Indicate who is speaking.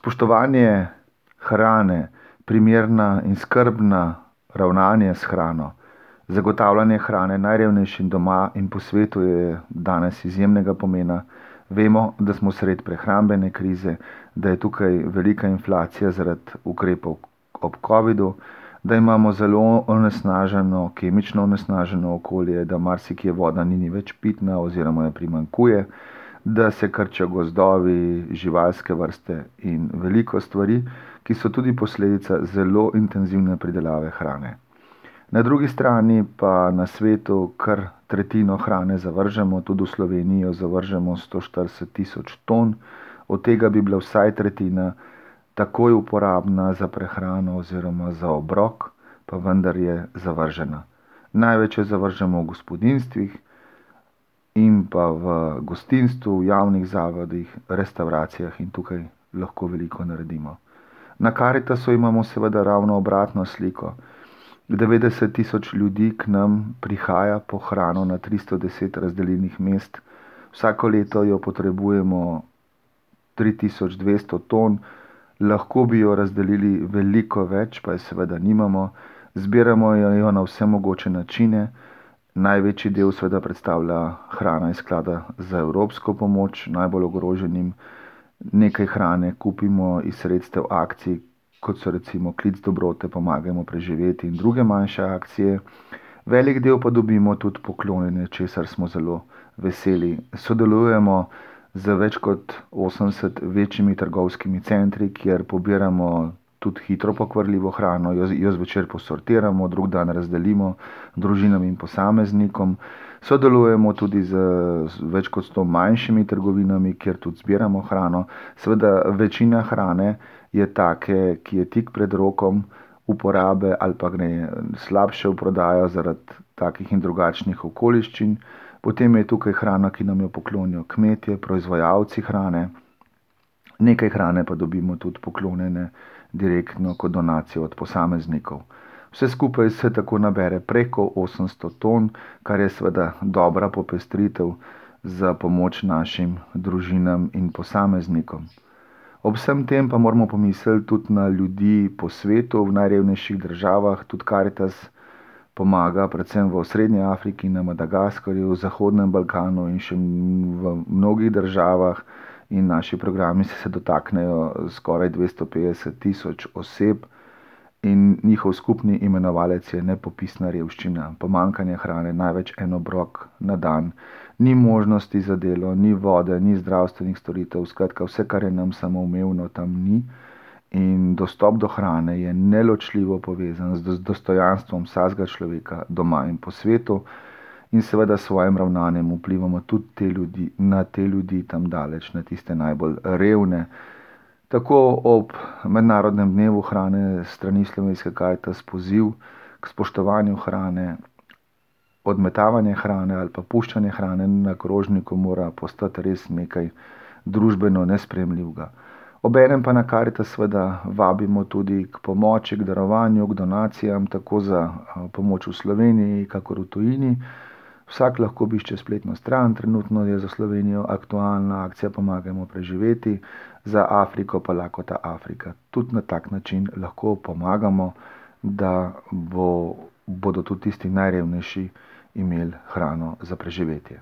Speaker 1: Spoštovanje hrane, primerna in skrbna ravnanje s hrano, zagotavljanje hrane najrevnejšim doma in po svetu je danes izjemnega pomena. Vemo, da smo sredi prehrambene krize, da je tukaj velika inflacija zaradi ukrepov ob covidu, da imamo zelo onesnaženo, kemično onesnaženo okolje, da marsikje voda ni več pitna oziroma je primanjkuje, da se krčijo gozdovi, živalske vrste in veliko stvari, ki so tudi posledica zelo intenzivne pridelave hrane. Na drugi strani pa na svetu kar tretjino hrane zavržemo, tudi v Sloveniji jo zavržemo 140 tisoč ton, od tega bi bila vsaj tretjina takoj uporabna za prehrano oziroma za obrok, pa vendar je zavržena. Največ jo zavržemo v gospodinjstvih in pa v gostinstvu, v javnih zavodih, restavracijah in tukaj lahko veliko naredimo. Na Karitasu imamo seveda ravno obratno sliko. 90 tisoč ljudi k nam prihaja po hrano na 310 razdeljenih mest. Vsako leto jo potrebujemo 3200 ton, lahko bi jo razdelili veliko več, pa je seveda nimamo. Zbiramo jo na vse mogoče načine. Največji del seveda predstavlja hrana iz sklada za evropsko pomoč najbolj ogroženim. Nekaj hrane kupimo iz sredstev akcij, kot so recimo Klic dobrote, Pomagajmo preživeti in druge manjše akcije. Velik del pa dobimo tudi poklonjene, česar smo zelo veseli. Sodelujemo z več kot 80 večjimi trgovskimi centri, kjer pobiramo tudi hitro pokvarljivo hrano, jo zvečer posortiramo, drug dan razdelimo družinam in posameznikom. Sodelujemo tudi z več kot 100 manjšimi trgovinami, kjer tudi zbiramo hrano. Seveda večina hrane je take, ki je tik pred rokom uporabe ali pa gre slabše v prodajo zaradi takih in drugačnih okoliščin. Potem je tukaj hrana, ki nam jo poklonijo kmetje, proizvajalci hrane. Nekaj hrane pa dobimo tudi poklonjene direktno kot donacijo od posameznikov. Vse skupaj se tako nabere preko 800 ton, kar je seveda dobra popestritev za pomoč našim družinam in posameznikom. Ob vsem tem pa moramo pomisliti tudi na ljudi po svetu, v najrevnejših državah. Tudi Karitas pomaga predvsem v Srednji Afriki, na Madagaskarju, v Zahodnem Balkanu in še v mnogih državah. In naši programi se dotaknejo skoraj 250 tisoč oseb in njihov skupni imenovalec je nepopisna revščina. Pomanjkanje hrane, največ en obrok na dan. Ni možnosti za delo, ni vode, ni zdravstvenih storitev, skratka vse, kar je nam samoumevno, tam ni. In dostop do hrane je neločljivo povezan z dostojanstvom vsakega človeka doma in po svetu. In seveda s svojim ravnanjem vplivamo tudi na te ljudi tam daleč, na tiste najbolj revne. Tako ob mednarodnem dnevu hrane strani Slovenske Karitas poziv k spoštovanju hrane, odmetavanje hrane ali pa puščanje hrane na krožniku mora postati res nekaj družbeno nesprejemljivega. Obenem pa na Karitas seveda vabimo tudi k pomoči, k darovanju, k donacijam, tako za pomoč v Sloveniji, kakor v tujini. Vsak lahko obišče spletno stran, trenutno je za Slovenijo aktualna akcija Pomagajmo preživeti, za Afriko pa Lakota Afrika. Tudi na tak način lahko pomagamo, da bodo tudi tisti najrevnejši imeli hrano za preživetje.